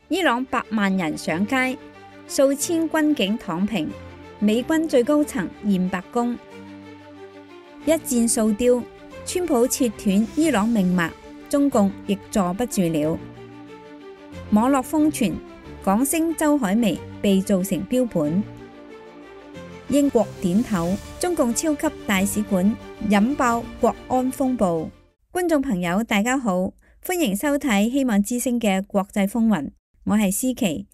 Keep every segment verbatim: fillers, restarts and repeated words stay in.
伊朗百萬人上街，數千軍警躺平，美軍最高層現白宮。一箭數雕，川普切斷伊朗命脈，中共亦坐不住了。網絡瘋傳，港星周海媚被做成標本。英國點頭，中共超級大使館引爆國安風暴。觀眾朋友大家好，歡迎收睇希望之聲嘅國際風雲，我係思琪。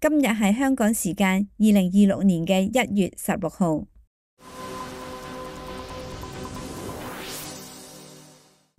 今日係香港時間二零二六年嘅一月十六號。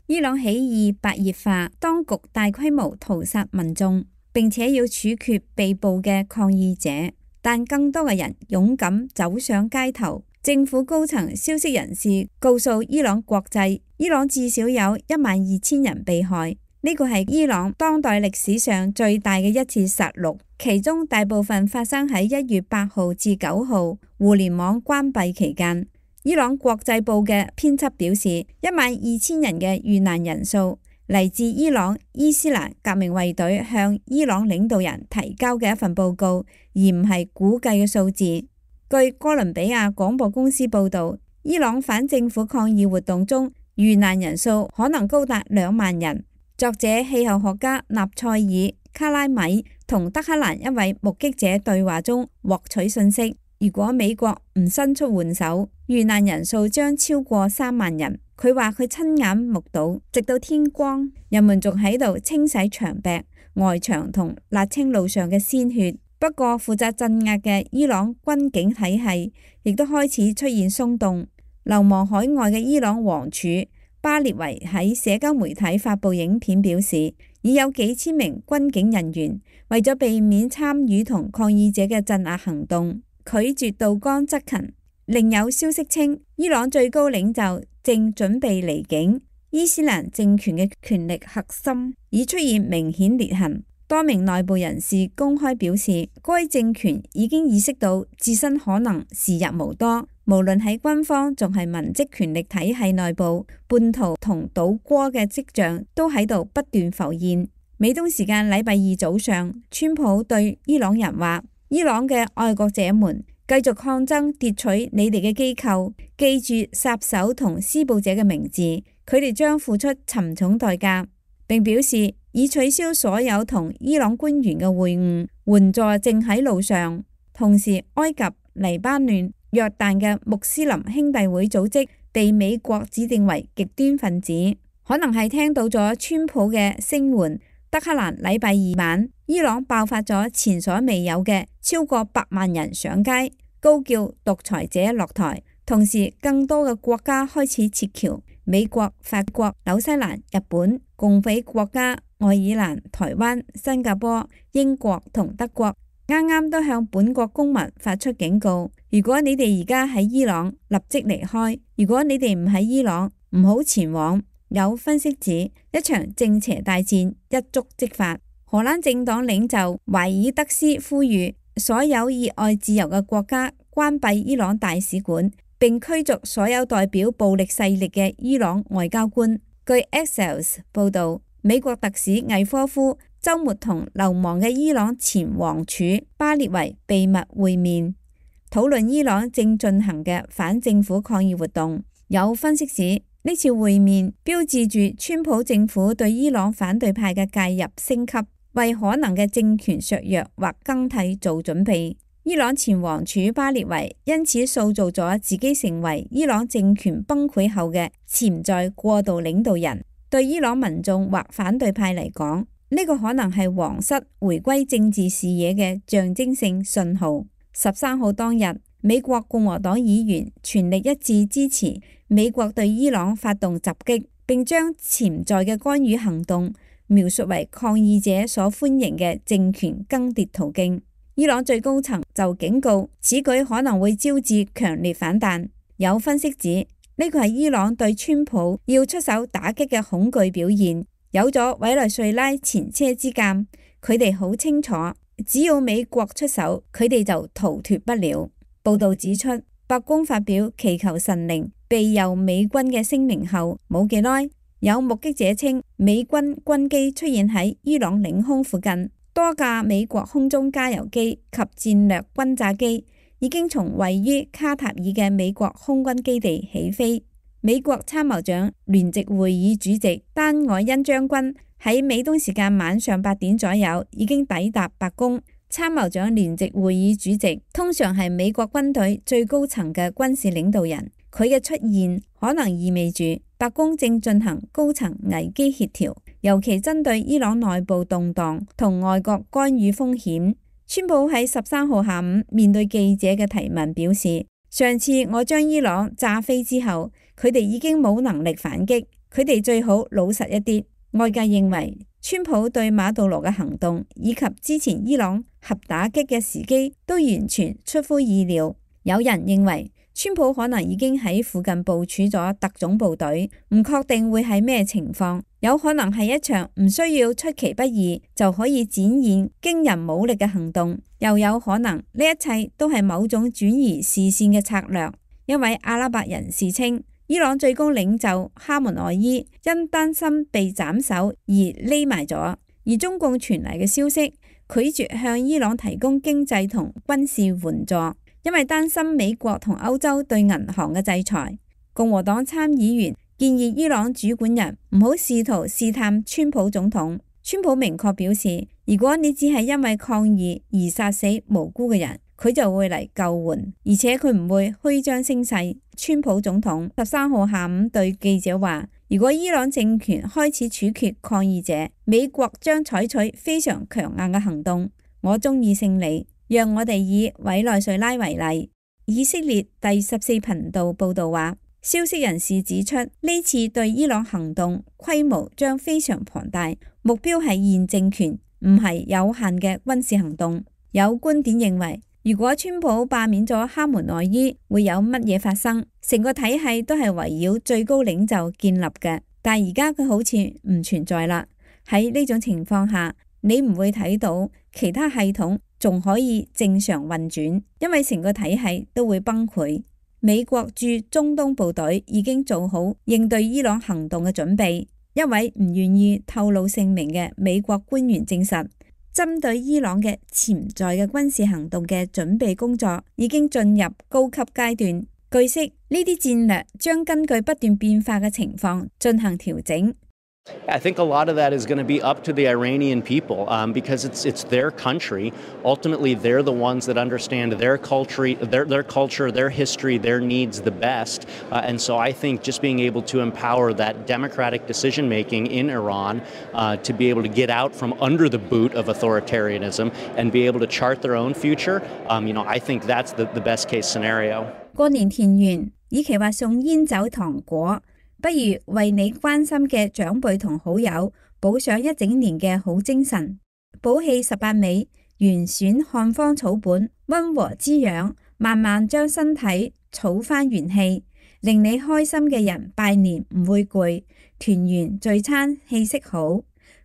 伊朗起義白熱化，當局大規模屠殺民眾，並且要處決被捕嘅抗議者，但更多嘅人勇敢走上街頭。政府高層消息人士告訴伊朗國際，伊朗至少有一萬二千人被害，呢個係伊朗當代歷史上最大嘅一次殺戮，其中大部分發生喺一月八號至九號互聯網關閉期間。伊朗國際報嘅編輯表示，一萬二千人嘅遇難人數嚟自伊朗伊斯蘭革命衛隊向伊朗領導人提交嘅一份報告，而唔係估計嘅數字。據哥倫比亞廣播公司報導，伊朗反政府抗議活動中遇難人數可能高達兩萬人。作者氣候學家納賽爾卡拉米同德黑蘭一位目擊者對話中獲取信息，如果美國唔伸出援手，遇難人數將超過三萬人。佢話佢親眼目睹，直到天光，人們仲喺度清洗牆壁、外牆同瀝青路上嘅鮮血。不過負責鎮壓嘅伊朗軍警體系亦都開始出現鬆動。流亡海外嘅伊朗王儲巴列維喺社交媒體發布影片表示，已有幾千名軍警人員為咗避免參與同抗議者嘅鎮壓行動，拒絕到崗執勤。另有消息稱，伊朗最高領袖正準備離境，伊斯蘭政權嘅權力核心已出現明顯裂痕。多名內部人士公開表示，該政權已經意識到自身可能時日無多，無論喺軍方仲係文職權力體系內部，叛徒同倒戈嘅跡象都喺度不斷浮現。美東時間禮拜二早上，川普對伊朗人話：伊朗嘅愛國者們，繼續抗爭奪取你哋嘅機構，記住殺手同施暴者嘅名字，佢哋將付出沉重代價。並表示已取消所有同伊朗官員嘅會晤，援助正喺路上。同時，埃及、黎巴嫩、約旦嘅穆斯林兄弟會組織被美國指定為極端分子，可能係聽到咗川普嘅聲援。德黑蘭禮拜二晚，伊朗爆發咗前所未有嘅超過百萬人上街，高叫獨裁者落台。同時，更多嘅國家開始撤僑，美國、法國、紐西蘭、日本、共匪國家愛爾蘭、台灣、新加坡、英國同德國啱啱都向本國公民發出警告：如果你哋而家喺伊朗，立即離開；如果你哋唔喺伊朗，唔好前往。有分析指，一場正邪大戰一觸即發。荷蘭政黨領袖懷爾德斯呼籲所有熱愛自由嘅國家關閉伊朗大使館，並驅逐所有代表暴力勢力嘅伊朗外交官。據 Axios 報導，美國特使魏科夫週末同流亡嘅伊朗前王儲巴列維秘密會面，討論伊朗正進行嘅反政府抗議活動。有分析指，呢次會面標誌住川普政府對伊朗反對派嘅介入升級，為可能嘅政權削弱或更替做準備。伊朗前王儲巴列維因此塑造咗自己成為伊朗政權崩潰後嘅潛在過渡領導人。對伊朗民眾或反對派嚟講，呢個可能係皇室回歸政治視野嘅象徵性信號。十三號當日，美國共和黨議員全力一致支持美國對伊朗發動襲擊，並將潛在嘅干預行動描述為抗議者所歡迎嘅政權更迭途徑。伊朗最高層就警告，此舉可能會招致強烈反彈。有分析指，呢個係伊朗對川普要出手打擊嘅恐懼表現。有咗委內瑞拉前車之鑑，佢哋好清楚，只要美國出手，佢哋就逃脫不了。報道指出，白宮發表祈求神靈庇佑美軍嘅聲明後冇幾耐，有目擊者稱美軍軍機出現喺伊朗領空附近。多架美國空中加油機及戰略轟炸機已經從位於卡塔爾嘅美國空軍基地起飛。美國參謀長聯席會議主席丹愛恩將軍喺美東時間晚上八點左右已經抵達白宮。參謀長聯席會議主席通常係美國軍隊最高層嘅軍事領導人，佢嘅出現可能意味住白宮正進行高層危機協調，尤其針對伊朗內部動盪同外國干預風險。川普喺十三號下午面對記者嘅提問表示，上次我將伊朗炸飛之後，佢哋已經冇能力反擊，佢哋最好老實一啲。外界認為川普對馬杜羅嘅行動以及之前伊朗核打擊嘅時機都完全出乎意料。有人認為川普可能已經喺附近部署咗特種部隊，唔確定會係咩情況，有可能係一場唔需要出其不意就可以展現驚人武力嘅行動，又有可能呢一切都係某種轉移視線嘅策略。一位阿拉伯人士稱，伊朗最高領袖哈門內伊因擔心被斬首而匿埋咗，而中共傳嚟嘅消息拒絕向伊朗提供經濟同軍事援助，因為擔心美國同歐洲對銀行嘅制裁。共和黨參議員建議伊朗主管人唔好試圖試探川普總統。川普明確表示，如果你只係因為抗議而殺死無辜嘅人，佢就會嚟救援，而且佢唔會虛張聲勢。川普總統十三號下午對記者話，如果伊朗政權開始處決抗議者，美國將採取非常強硬嘅行動。我中意勝利，讓我哋以委內瑞拉為例。以色列第十四頻道報道話，消息人士指出，呢次對伊朗行動規模將非常龐大，目標係現政權，唔係有限嘅軍事行動。有觀點認為，如果川普罷免咗哈門內伊，會有乜嘢發生？成個體系都係圍繞最高領袖建立嘅，但而家佢好似唔存在啦。喺呢種情況下，你唔會睇到其他系統仲可以正常運轉，因為成個體系都會崩潰。美國駐中東部隊已經做好應對伊朗行動嘅準備。一位唔願意透露姓名嘅美國官員證實，針對伊朗嘅潛在嘅軍事行動嘅準備工作已經進入高級階段。據悉，呢啲戰略將根據不斷變化嘅情況進行調整。I think a lot of that is going to be up to the Iranian people um, because it's it's their country. Ultimately, they're the ones that understand their culture, their their culture, their history, their needs the best. Uh, and so I think just being able to empower that democratic decision making in Iran uh, to be able to get out from under the boot of authoritarianism and be able to chart their own future, um, you know, I think that's the, the best case scenario. 過年田園，與其話送煙酒糖果，不如為你關心嘅長輩同好友補上一整年嘅好精神。補氣十八味，原選漢方草本，溫和滋養，慢慢將身體儲返元氣，令你開心嘅人拜年唔會攰，團圓聚餐氣息好。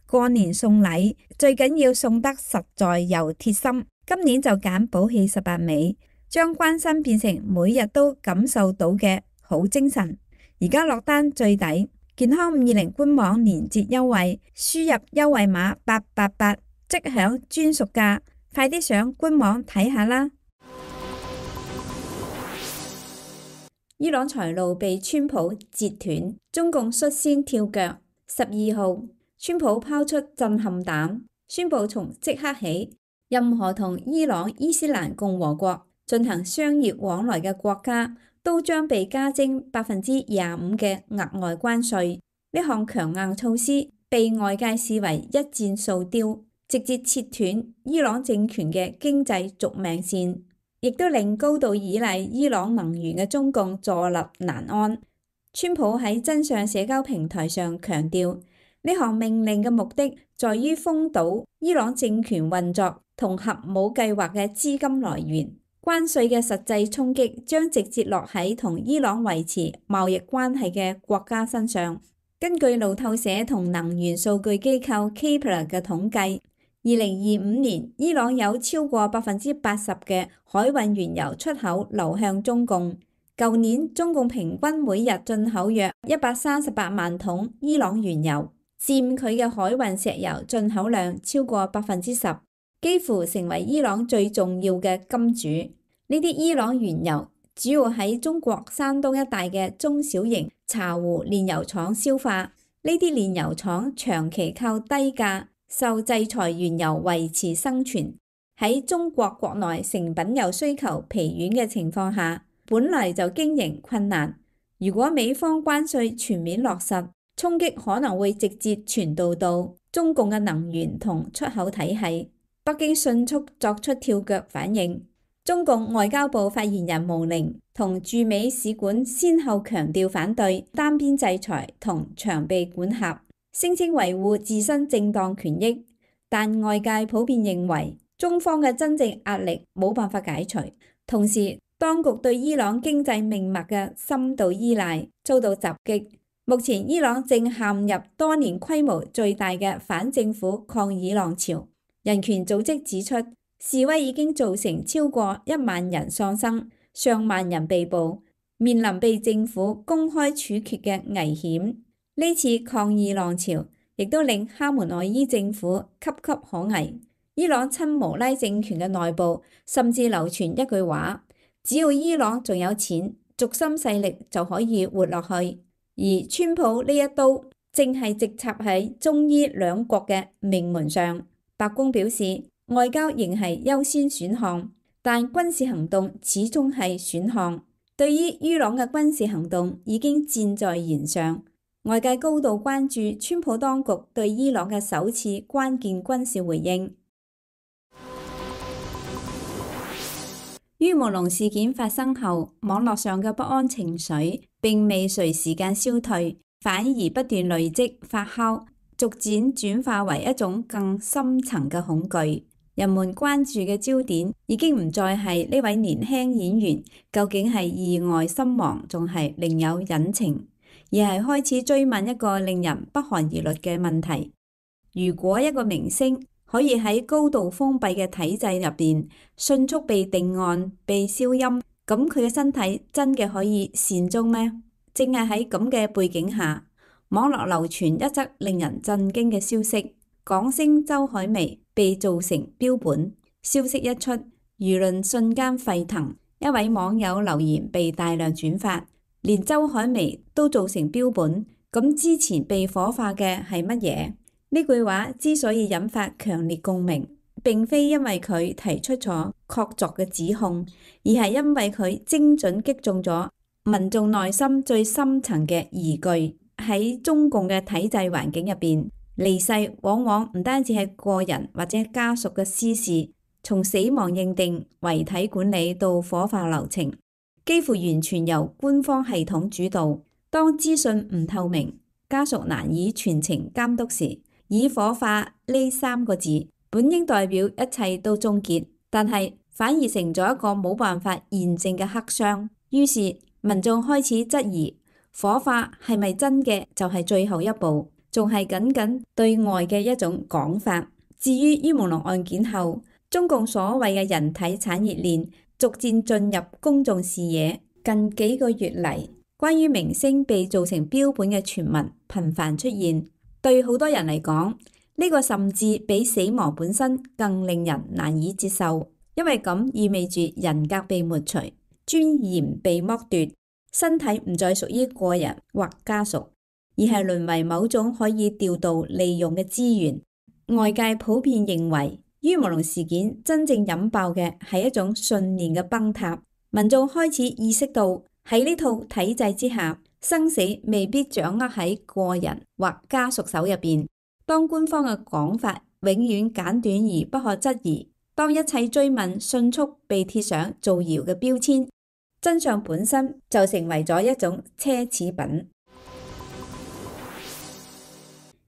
過年送禮最緊要送得實在又貼心，今年就揀補氣十八味，將關心變成每日都感受到嘅好精神。而家落單最抵，健康五二零官網年節優惠，輸入優惠碼八八八即享專屬價，快啲上官網睇下啦！伊朗財路被川普截斷，中共率先跳腳。十二號，川普拋出震撼彈，宣布從即刻起，任何同伊朗伊斯蘭共和國進行商業往來嘅國家都將被加徵百分之廿五嘅額外關稅。呢項強硬措施被外界視為一箭數雕，直接切斷伊朗政權嘅經濟續命線，亦都令高度依賴伊朗能源嘅中共坐立難安。川普喺真相社交平台上強調，呢項命令嘅目的在於封堵伊朗政權運作同核武計劃嘅資金來源。關稅嘅實際衝擊將直接落喺同伊朗維持貿易關係嘅國家身上。根據路透社同能源數據機構 Kpler 嘅統計，二零二五年伊朗有超過百分之八十嘅海運原油出口流向中共。舊年中共平均每日進口約一百三十八萬桶伊朗原油，佔佢嘅海運石油進口量超過百分之十，幾乎成為伊朗最重要嘅金主。呢啲伊朗原油主要喺中國山東一帶嘅中小型茶壺煉油廠消化。呢啲煉油廠長期靠低價受制裁原油維持生存。喺中國國內成品油需求疲軟嘅情況下，本嚟就經營困難。如果美方關稅全面落實，衝擊可能會直接傳導到中共嘅能源同出口體系。北京迅速作出跳腳反應。中共外交部發言人毛寧同駐美使館先後強調反對單邊制裁同長臂管轄，聲稱維護自身正當權益。但外界普遍認為中方嘅真正壓力冇辦法解除。同時，當局對伊朗經濟命脈嘅深度依賴遭到襲擊。目前伊朗正陷入多年規模最大嘅反政府抗議浪潮。人權組織指出，示威已經造成超過一萬人喪生，上萬人被捕，面臨被政府公開處決嘅危險。呢次抗議浪潮亦都令哈梅內伊政府岌岌可危。伊朗親穆拉政權嘅內部甚至流傳一句話：只要伊朗仲有錢，軸心勢力就可以活落去。而川普呢一刀正係直插喺中伊兩國嘅命門上。白宮表示，外交仍係優先選項，但軍事行動始終係選項。對於伊朗嘅軍事行動已經箭在弦上，外界高度關注川普當局對伊朗嘅首次關鍵軍事回應。於慕龍事件發生後，網絡上嘅不安情緒並未隨時間消退，反而不斷累積發酵，逐漸轉化為一種更深層嘅恐懼。人們關注嘅焦點已經唔再係呢位年輕演員究竟係意外身亡，仲係另有隱情，而係開始追問一個令人不寒而慄嘅問題：如果一個明星可以喺高度封閉嘅體制入邊迅速被定案、被消音，咁佢嘅身體真嘅可以善終咩？正係喺咁嘅背景下，網絡流傳一則令人震驚嘅消息：港星周海媚被做成標本。消息一出，輿論瞬間沸騰，一位網友留言被大量轉發，連周海媚都做成標本，咁之前被火化嘅係乜嘢？呢句話之所以引發強烈共鳴，並非因為佢提出咗確鑿嘅指控，而係因為佢精準擊中咗民眾內心最深層嘅疑懼。喺中共嘅體制環境入邊，離世往往唔單止係個人或者家屬嘅私事，從死亡認定、遺體管理到火化流程，幾乎完全由官方系統主導。當資訊唔透明，家屬難以全程監督時，以火化呢三個字本應代表一切都終結，但係反而成咗一個冇辦法驗證嘅黑箱。於是民眾開始質疑，火化係咪真嘅就係最後一步，仲係僅僅對外嘅一種講法。至於於慕龍案件後，中共所謂嘅人體產業鏈逐漸進入公眾視野。近幾個月嚟，關於明星被做成標本嘅傳聞頻繁出現。對好多人嚟講，呢個甚至比死亡本身更令人難以接受，因為咁意味住人格被抹除，尊嚴被剝奪，身體唔再屬於個人或家屬，而係淪為某種可以調度利用嘅資源。外界普遍認為，於慕龍事件真正引爆嘅係一種信念嘅崩塌，民眾開始意識到喺呢套體制之下，生死未必掌握喺個人或家屬手入邊。當官方嘅講法永遠簡短而不可質疑，當一切追問迅速被貼上造謠嘅標籤，真相本身就成為咗一種奢侈品。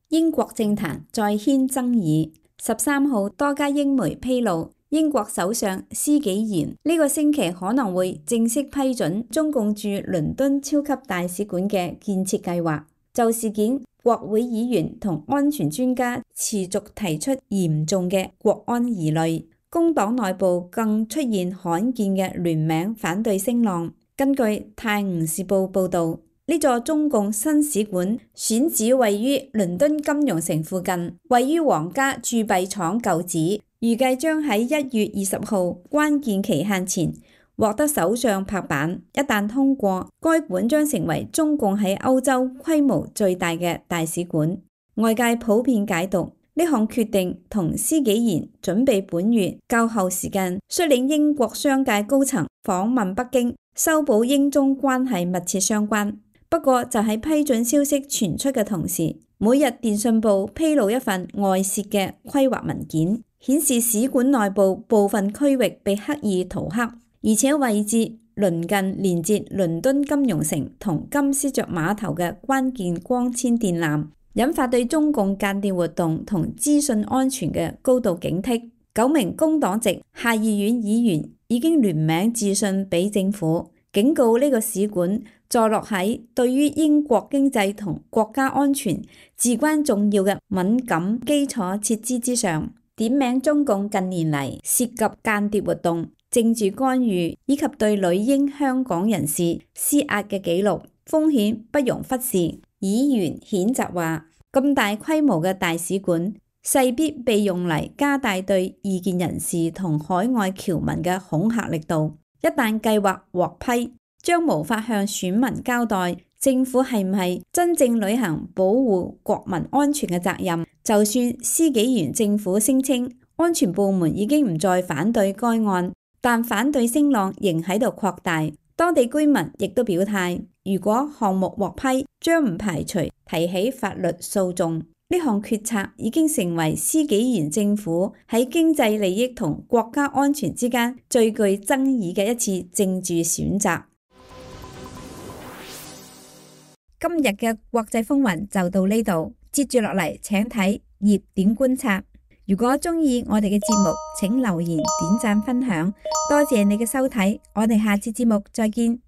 英國政壇再掀爭議。十三號，多家英媒披露，英國首相施紀賢呢個星期可能會正式批准中共駐倫敦超級大使館嘅建設計劃。就事件，國會議員同安全專家持續提出嚴重嘅國安疑慮，工黨內部更出現罕見嘅聯名反對聲浪。根據《泰晤士報》報導，呢座中共新使館選址位於倫敦金融城附近，位於皇家鑄幣廠舊址，預計將喺一月二十號關鍵期限前獲得首相拍板。一旦通過，該館將成為中共喺歐洲規模最大嘅大使館。外界普遍解讀呢項決定同施紀賢準備本月較後時間率領英國商界高層訪問北京，修補英中關係密切相關。不過就喺批准消息傳出嘅同時，每日電訊報披露一份外泄嘅規劃文件，顯示使館內部部分區域被刻意塗黑，而且位置鄰近連接倫敦金融城同金絲雀碼頭嘅關鍵光纖電纜，引發對中共間諜活動同資訊安全嘅高度警惕。九名工黨籍下議院議員已經聯名致信俾政府，警告呢個使館坐落喺對於英國經濟同國家安全至關重要嘅敏感基礎設施之上，點名中共近年嚟涉及間諜活動、政治干預以及對女英香港人士施壓嘅記錄，風險不容忽視。議員譴責話，咁大規模嘅大使館勢必被用嚟加大對異見人士同海外僑民嘅恐嚇力度。一旦計劃獲批，將無法向選民交代政府係唔係真正履行保護國民安全嘅責任。就算施紀賢政府聲稱安全部門已經唔再反對該案，但反對聲浪仍喺度擴大。當地居民亦都表態，如果項目獲批，將唔排除提起法律訴訟。呢項決策已經成為施紀賢政府喺經濟利益同國家安全之間最具爭議嘅一次政治選擇。今日嘅國際風雲就到呢度，接住落嚟請睇熱點觀察。如果中意我哋嘅節目，請留言、點讚、分享，多謝你嘅收睇，我哋下次節目再見。